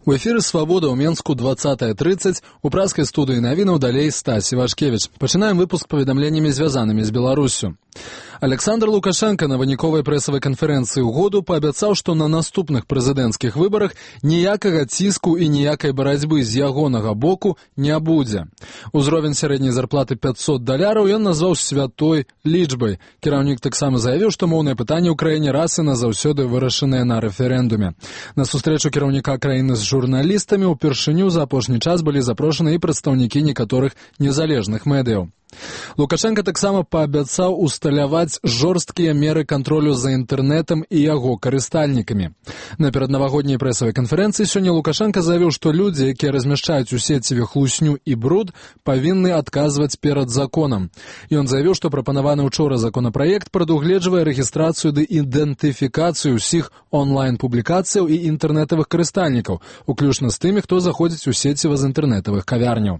У эфіры «Свабода» ў Менску 20:30. У праскай студыі навінаў далей Стась Івашкевіч. Пачынаем выпуск паведамленнямі, звязанымі з Беларуссю. Александр Лукашенко на выніковай прэсавай канферэнцыі ў году паабяцаў, што на наступных прэзідэнцкіх выбарах ніякага ціску і ніякай барацьбы з ягонага боку не будзе. Узровень сярэдняй зарплаты $500 ён назваў святой лічбай. Кіраўнік таксама заявіў, што моўнае пытанне ў краіне раз і назаўсёды вырашанае на рэферэндуме. На сустрэчу кіраўніка краіны з журналістамі ўпершыню за апошні час былі запрошаны і прадстаўнікі некаторых незалежных медыяў. Лукашенко таксама паабяцаў усталяваць жорсткія меры кантролю за інтэрнэтам і яго карыстальнікамі. На пераднавагодняй прэсавай канферэнцыі сёння Лукашенко заявіў, што людзі, якія размяшчаюць у сеціве хлусню і бруд, павінны адказваць перад законам. Ён заявіў, што прапанаваны учора законапраект прадугледжвае рэгістрацыю ды ідэнтыфікацыю ўсіх онлайн-публікацыяў і інтэрнэтавых карыстальнікаў, уключна з тымі, хто заходзіць у сеціва з інтэрнэтавых кавярняў.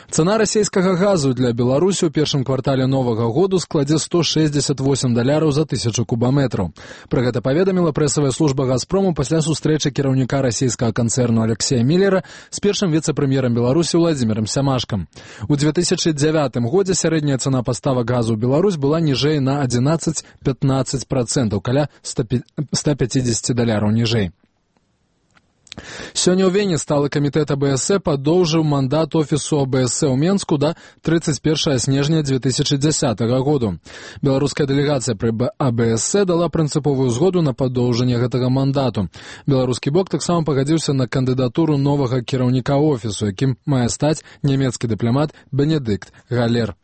Цана расійскага газу для Беларусі ў першым квартале новага году складзе $168 за 1000 кубаметраў. Пра гэта паведаміла прэсавая служба «Газпрому» пасля сустрэчы кіраўніка расійскага канцэрну Алексея Міллера з першым віцэ-прэм'ерам Беларусі Владзімірам Сямашкам. У 2009 годзе сярэдняя цана паставак газу ў Беларусь была ніжэй на 11-15%, каля $150 ніжэй. Сёння ў Вене сталы камітэт АБС падоўжыў мандат офісу АБС ў Менску да 31 снежня 2010 году. Беларуская дэлегацыя пры АБС дала прынцыповую згоду на падоўжанне гэтага мандату. Беларускі бок таксама пагадзіўся на кандыдатуру новага кіраўніка офісу, якім мае стаць нямецкі дыпламат Бенедыкт Галер.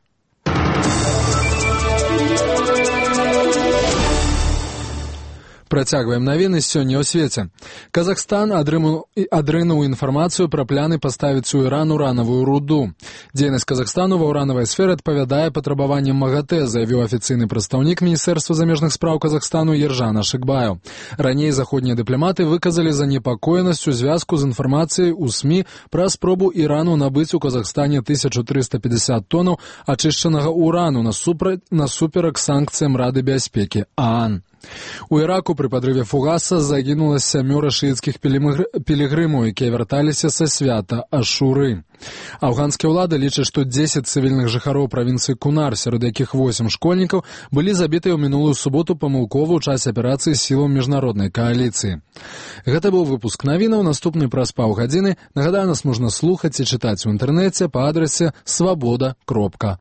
Працягваем навіны сёння ў свеце. Казахстан адрынуў інфармацыю пра пляны паставіць у Іран уранавую руду. Дзейнасць Казахстану ва ўранавай сферы адпавядае патрабаванням МАГАТЭ, заявіў афіцыйны прадстаўнік Міністэрства замежных спраў Казахстану Ержан Ашыкбаев. Раней заходнія дыпламаты выказалі занепакоенасць у звязку з інфармацыяй у СМІ пра спробу Ірану набыць у Казахстане 1350 тонаў ачышчанага урану насуперак санкцыям Рады бяспекі ААН. У Іраку пры падрыве фугаса загінула 7 шыіцкіх пілігрымаў, якія вярталіся са свята Ашуры. Афганскія ўлады лічаць, што 10 цывільных жыхароў правінцыі Кунар, сярод якіх 8 школьнікаў, былі забітыя ў минулую суботу памылкова ў часе аперацыі сілаў міжнароднай кааліцыі. Гэта быў выпуск навінаў, наступны праз паўгадзіны. Нагадаю, нас можна слухаць і чытаць у інтэрнэце па адрасе swaboda.org.